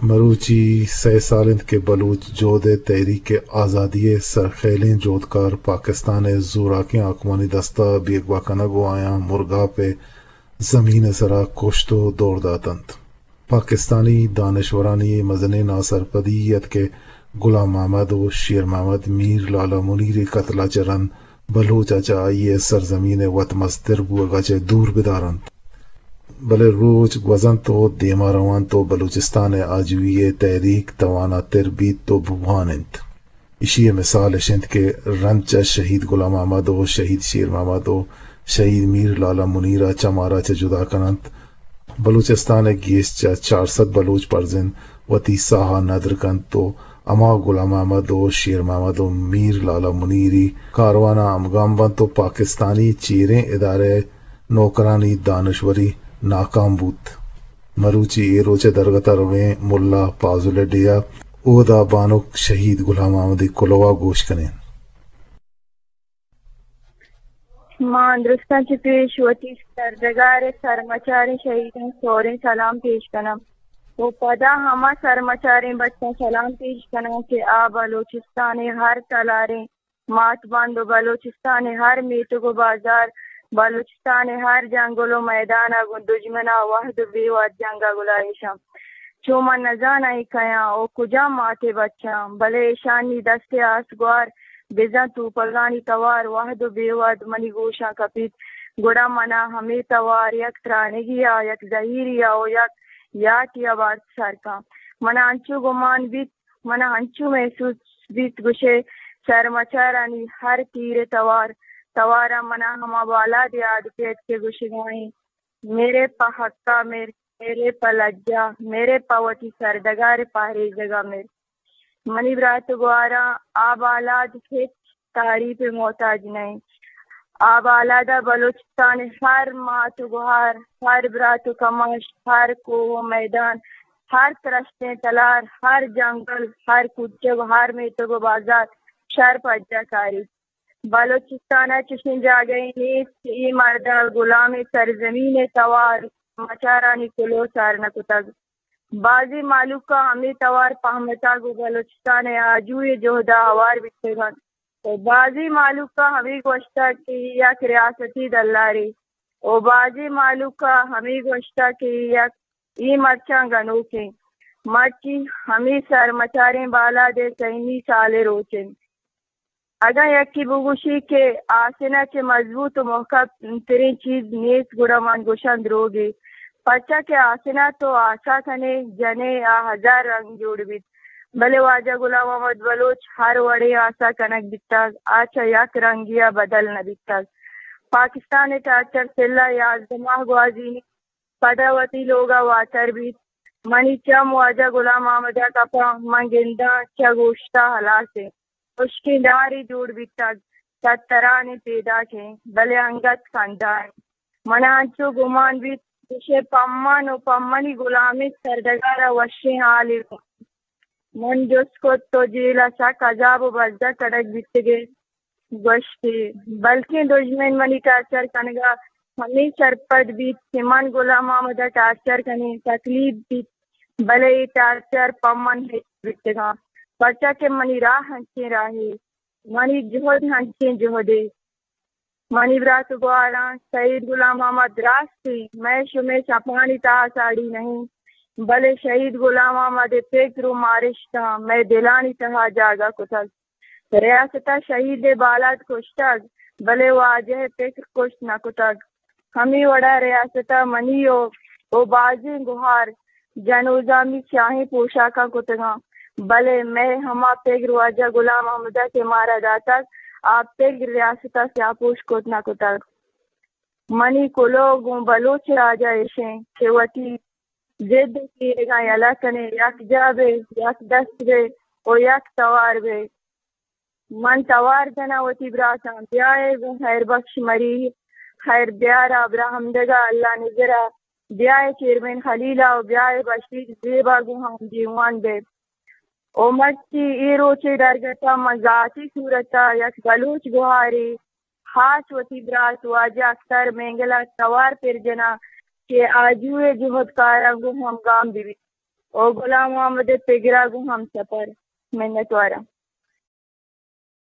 مروچی سئے سال انت کہ بلوچ جہد ءِ تحریک آزادی ءِ سرخیلیں جہدکار پاکستان ءِ زوراکیں حاکمانی دست ءَ بیگواہ کنگ ءُ آیاں مرگاپ ءِ زمین ءِ سرا کشت ءُ دور دات انت۔ پاکستانی دانشورانی اے مزنیں ناسرپدی ات کہ غلام محمد ءُ شیر محمد میر لالا منیر ءِ قتل ءَ چہ رند بلوچ ءَ چہ آئی ءِ سرزمین ءِ وت مستر بوگ ءَ چہ دور بدار انت۔ بلے روچ گوزنت ءُ دیما روانت ءُ بلوچستان ءِ آجوئی ءِ تحریک تواناتر بیت ءُ بوان انت۔ ایشی ءِ مثال اش انت کہ رند چہ شہید غلام محمد ءُ شہید شیر محمد ءُ شہید میر لالا منیر ءَ چہ مارا چہ جدا کن انت۔ بلوچستان ءِ گیش چہ چار سد بلوچ پرزند وتی ساہ ءَ ندر کنت ءُ ہما غلام محمد ءُ شیر محمد ءُ میر لالا منیری کاروان ءَ ہمگام بنت ءُ پاکستانی چیریں ادارہ ءِ نوکرانی دانشوری ناکام بوت۔ مروچی اے روچ ءِ درگت ءَ رویں ملا پازل ءِ ڈیھ ءَ اودا بانک شہید غلام محمد ءِ کلوہ ءَ گوش کنیں۔ ما درستاں چہ پیش وتی سرڈگار ءِ سرمچاریں شہیداں سوریں سلام پیش کناں ءُ پدا ہما سرمچاریں بچاں سلام پیش کناں کہ آ بلوچستان ءِ ہر تلاریں مات بند ءُ بلوچستان ءِ ہر میتگ ءُ بازار، بلوچستان ءِ ہر جنگل ءُ میدان ءَ گوں دژمن ءَ وہد ءُ بے وہد جنگ ءَ گلائیش انت۔ چو من نزاناں اے کئے آں ءُ کجام مات ءِ بچ آں، بلے ایشانی دست ءِ آس گوار بزاں توپگانی توار وہد ءُ بے وہد منی گوشاں کپیت، گڑا من ءَ ہمے توار یک ترانگی ءَ، یک زہیری ءَ ءُ یک یاٹی ءَ بارت سر کن۔ من ءَ انچو گمان بیت، من ءَ انچو محسوس بیت گوشئے سرمچارانی ہر تیر ءِ توار، توار ءَ من ءَ ہما بالاد یاد کیت کہ گوشگا ایں، میرے پہ حقا مر، میرے پہ لجا، میرے پہ وتی سرڈگار ءِ پہریزگا مر۔ منی برات ءُ گواراں، آ بالاد ہچ تعریف ءِ محتاج نہ انت۔ آ بالاد ءَ بلوچستان ءِ ہر مات ءُ گوہار، ہر برات ءُ کماش، ہر کوہ ءُ میدان، ہر ترشتیں تلار، ہر جنگل، ہر کوچگ ءُ ہر میتگ ءُ بازار شر پجا کاریت۔ بلوچستان ءَ چشیں جاگہے نیست کہ اے مرد ءَ گلامیں سرزمین ءِ توار مچارانی کلوہ سر نہ کتگ۔ بازیں مہلوک ءَ ہمے توار پہمتگ ءُ بلوچستان ءِ آجوئی ءِ جہد ءَ ہوار بیتگ انت ءُ بازیں مہلوک ءَ ہمے گوشتگ کہ اے یک ریاستی دلارے ءُ بازیں مہلوک ءَ ہمے گوشتگ کہ اے یک، اے مرچاں گنوک انت۔ مرچی ہمے سرمچاریں بالاد ءِ سئیمی سال ءِ روچ انت۔ اگاں یکے بگوشی کہ آسن ءَ چہ مضبوط ءُ محکم تریں چیز نیست، گڑا من گوشاں دروگے، پرچا کہ آسن ءَ تو آسا کنے، جنے، آ ہزار رنگ جوڑ بیت، بلے واجہ غلام محمد بلوچ ہر وڑیں آسا کنگ بیتگ، آ چہ یک رنگے ءَ بدل نہ بیتگ۔ پاکستان ءِ ٹارچر سلہ یازدہ ماہ گوازینی، پدا وتی لوگ ءَ واتر بیت۔ منی چم واجہ غلام محمد ءَ کپاں، من گنداں چہ گوشت ءَ ہلاس انت۔ ہشکیں ڈارے جوڑ بیتگ، تتران ءَ پیداک انت، بلے انگت کندا انت۔ من ءَ انچو گمان بیت، گوشئے پمن ءُ پمنی گلامیں سرڈگار ءَ وشیں حالے گون۔ من جست کت، تو جیل ءَ سک عذاب ءُ بزگ کنگ بیتگ ئے؟ گوشتی، بلکیں دژمن منی ٹارچر کنگ ءَ ہمے سرپد بیت کہ من غلام محمد ءَ ٹارچر کنیں، تکلیف بیت، بلے اے ٹارچر پہ من ہچ بیتگاں، پرچا کہ منی راہ انچیں راہے، منی جہد انچیں جہدے۔ منی برات ءُ گواراں، شہید غلام محمد راستی مئے شمئے چپانی تہا ساڑی نہ انت، بلے شہید غلام محمد ءِ پگر ءُ مارشتاں مئے دلانی تہا جاگہ کتگ۔ ریاست ءَ شہید ءِ بالاد کشتگ، بلے واجہ ءِ پکر کشت نہ کتگ۔ ہمے وڑ ءَ ریاست ءَ منی ءُ، ءُ بازیں گہار جنوزامی سیاہیں پوشاکاں کتگاں، بلے مئے ہما پگر واجہ غلام محمد ءَ کہ مارا داتگ، آ پگر ریاست ءَ سیاہ پوش کت نہ کتگ۔ منی کلوہ گوں بلوچ راج ءَ ایش انت کہ وتی جد ءُ کیرگاں یلہ کنیں، یکجاہ بئے، یک دست بئے ءُ یک توار بئے۔ من توار جناں وتی براتاں، بیائے گوں خیر بخش مری، خیر بیار ءَ، ابراہیم ڈگا، اللہ نزر ءَ، بیائے چیئرمین خلیل ءَ ءُ بیائے بشیر زیب ءَ گوں ہم دیوان بئے۔ ءُ مرچی اے روچ ءِ درگت ءَ من ذاتی صورت ءَ یک بلوچ گہارے، خاص وتی برات واجہ اختر مینگل ءَ توار پر جناں کہ آجو ءِ جہدکاراں گوں ہمگام بہ بیت۔ او غلام محمد پگرا گوں ہم سفر۔ منتوارم۔